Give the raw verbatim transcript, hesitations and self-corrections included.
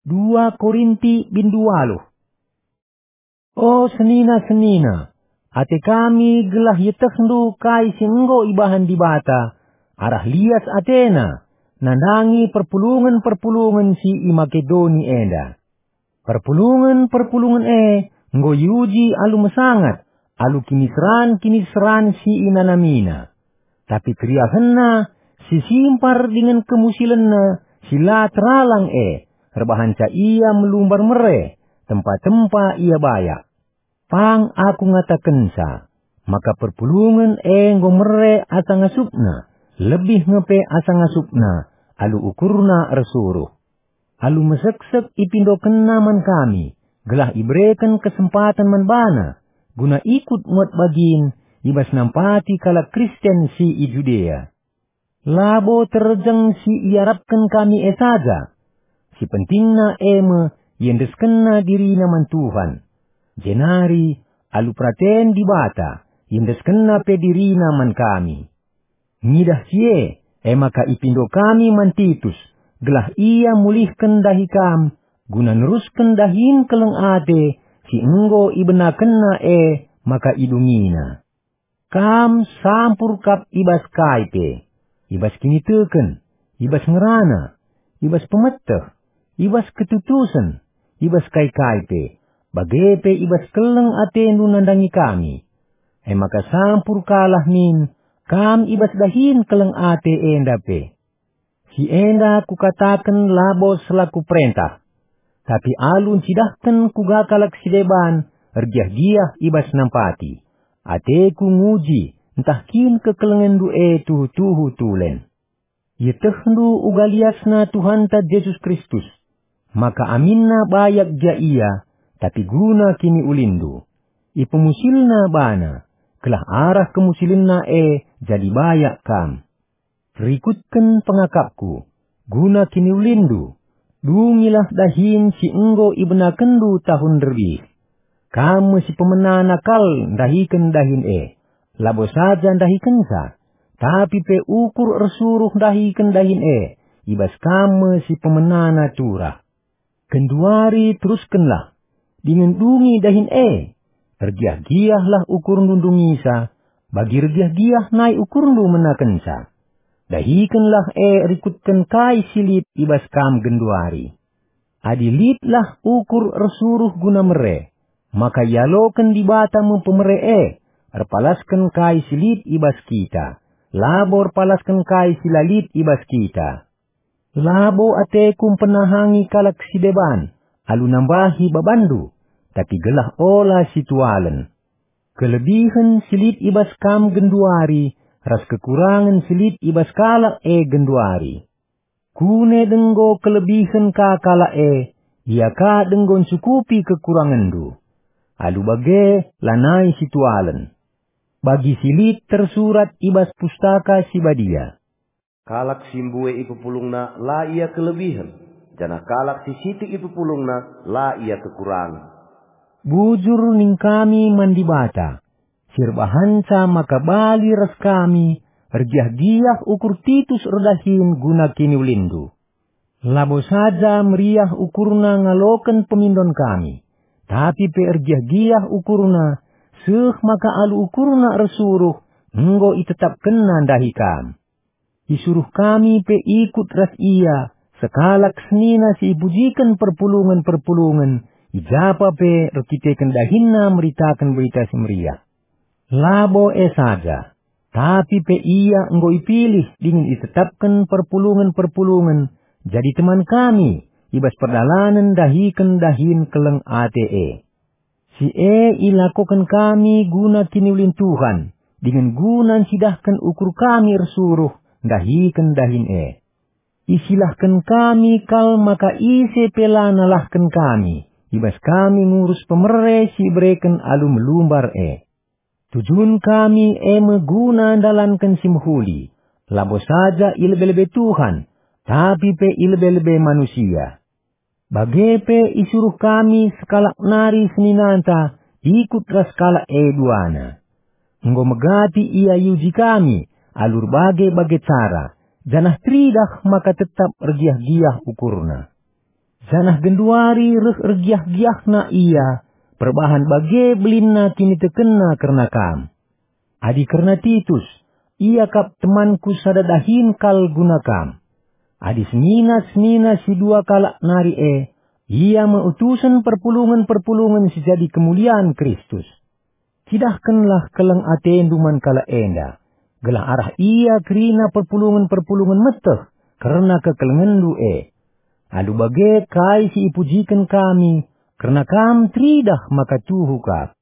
Dua Korinti bindu waluh. O senina-senina, ate kami gelah ietehndu kai si enggo ibahan Dibata, arah lias ateNa, nandangi perpulungen-perpulungen si i Makedoni enda. Perpulungen-perpulungen e enggo iuji alu mesangat, alu kiniseran-kiniseran si inanamiNa. Tapi keriahenNa, si simpar dingen kemusilenNa, si la teralang e, erbahanca Ia melumbar mere, tempa-tempa Ia bayak. Pang aku ngatakenca, maka perpulungen e enggo mere asa ngasupna, lebih nge pe asa ngasupna, alu ukurna ersuruh. Alu meseksek ipindokenna man kami, gelah ibereken kesempaten man bana, guna ikut muat bagin i bas nampati kalak Kristen si i Judea. Labo terjeng si iarapken kami e saja. Si pentingna e me iendeskenna dirina man Tuhan. Jenari, alu peraten Dibata, iendeskenna pe dirina man kami. Ngidah si e, e maka ipindo kami man Titus, gelah ia mulihken dahi kam, guna nerusken dahin keleng ate si enggo ibenakenna e maka idungina. Kam sampur kap i bas kai pe, i bas kiniteken, i bas ngerana, i bas pemeteh, i bas ketutusen, i bas kai-kai pe, bage pe i bas keleng atendu nandangi kami. E maka sampur kalah min kam i bas dahin keleng ate enda pe. Si enda kukataken labo selaku perentah, tapi alu ncidahken kuga kalak si deban ergiah-giah i bas nampati. Ateku nguji ntah kin kekelengenndu e tuhu-tuhu tulen. Ietehndu uga liasna Tuhanta Jesus Kristus, maka aminna bayak gia ia, tapi guna kiniulinndu. Ipemusilna bana, gelah arah kemusilenna e jadi bayak kam. Rikutken pengakapku, guna kiniulinndu, dungilah dahin si enggo ibenakenndu tahun nderbih. Kam me si pemenana kal ndahiken dahin e, labo saja ndahikenca, tapi pe ukur ersuruh ndahiken dahin e, i bas kam me si pemenana turah. Genduari teruskenlah, dingen dungi dahin e. Ergiah-giahlah ukurndu ndungisa, bagi ergiah-giah nai ukurndu menakenca. Dahikenlah e rikutken kai si lit i bas kam genduari. Adi litlah ukur ersuruh guna mere, maka ialoken Dibata me pemere e, erpalasken kai si lit i bas kita, labo erpalasken kai si la lit i bas kita. Labo ateku mpenahangi kalak si deban alu nambahi babanndu, tapi gelah ola situalen. Kelebihen si lit i bas kam genduari ras kekurangen si lit i bas kalak e genduari. Kune denggo kelebihen ka kalak e, ia ka denggo ncukupi kekurangenndu. Alu bage lanai situalen. Bagi si lit tersurat i bas Pustaka Si Badia. Kalak si mbue ipepulungna la ia kelebihen, janah kalak si sitik ipepulungna la ia kekurangen. Bujur ning kami man Dibata, si erbahanca maka bali ras kami ergiah-giah ukur Titus erdahin guna kiniulinndu. Labo saja meriah ukurna ngaloken pemindon kami, tapi pe ergiah-giah ukurna, seh maka alu ukurna ersuruh enggo itetapkenna ndahi kam. Isuruh kami pe ikut ras ia, sekalak senina si ipujiken perpulungen-perpulungen, i japa pe erkiteken dahinna meritaken Berita Si Meriah. Labo e saja, tapi pe ia enggo ipilih dingen itetapken perpulungen-perpulungen jadi teman kami i bas perdalanen ndahiken dahin keleng ate e. Si e ilakoken kami guna kiniulin Tuhan, dingen guna ncidahken ukur kami ersuruh ndahiken dahin e. Isilahken kami kal maka ise pe la nalahken kami, i bas kami ngurus pemere si ibereken alu melumbar e. Tujun kami e me guna ndalanken si mehuli, labo saja i lebe-lebe Tuhan, tapi pe i lebe-lebe manusia. Bage pe isuruh kami sekalak nari seninanta ikut ras kalak e duana. Enggo megati ia iuji kami alu erbage-bage cara, janah teridah maka tetap ergiah-giah ukurna. janah genduari reh ergiah-giahna ia, perbahan bage belinna kinitekenna kerna kam. Adi kerna Titus, ia kap temanku sada dahin kal guna kam. Adi senina-senina si dua kalak nari e, ia me utusen perpulungen-perpulungen si jadi kemulian Kristus. Cidahkenlah keleng atendu man kalak enda, gelah arah ia kerina perpulungen-perpulungen meteh kerna kekelengenndu e. Alu bage kai si ipujiken kami, kerna kam teridah maka tuhu kap.